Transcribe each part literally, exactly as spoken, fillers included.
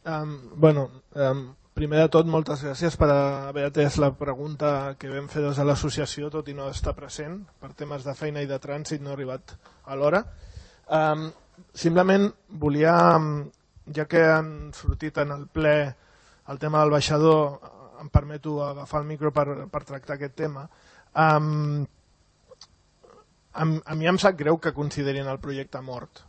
Um, bueno, um, primer de tot, moltes gràcies per haver atès la pregunta que vam fer des de l'associació, tot i no estar present, per temes de feina i de trànsit no he arribat a l'hora. Um, simplement volia, ja que han sortit en el ple el tema del baixador, em permeto agafar el micro per, per tractar aquest tema. Um, a, a mi em sap greu que considerin el projecte mort,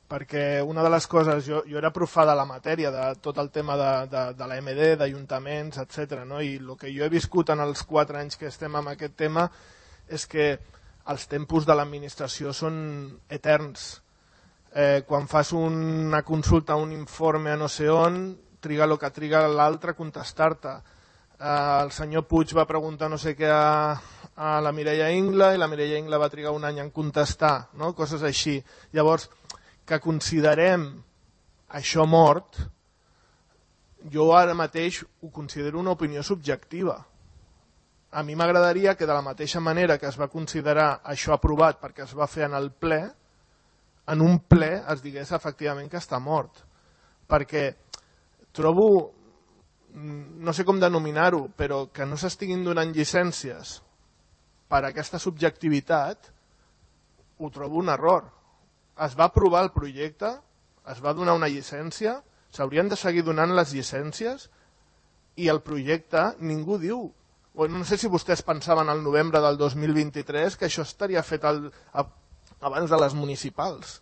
perquè una de les coses, jo, jo era profà de la matèria, de tot el tema de, de, de la M D, d'ajuntaments, etcètera, no? I el que jo he viscut en els quatre anys que estem en aquest tema és que els tempos de l'administració són eterns. Eh, quan fas una consulta, un informe a no sé on, triga el que triga l'altre a contestar-te. Eh, el senyor Puig va preguntar no sé què a, a la Mireia Ingla i la Mireia Ingla va trigar un any en contestar, no? Coses així. Llavors, que considerem això mort, jo ara mateix ho considero una opinió subjectiva. A mi m'agradaria que de la mateixa manera que es va considerar això aprovat perquè es va fer en el ple, en un ple es digués efectivament que està mort. Perquè trobo, no sé com denominar-ho, però que no s'estiguin donant llicències per aquesta subjectivitat, ho trobo un error. Es va aprovar el projecte, es va donar una llicència, s'haurien de seguir donant les llicències i el projecte ningú diu. No sé si vostès pensaven al novembre del dos mil vint-i-tres que això estaria fet al, a, abans de les municipals.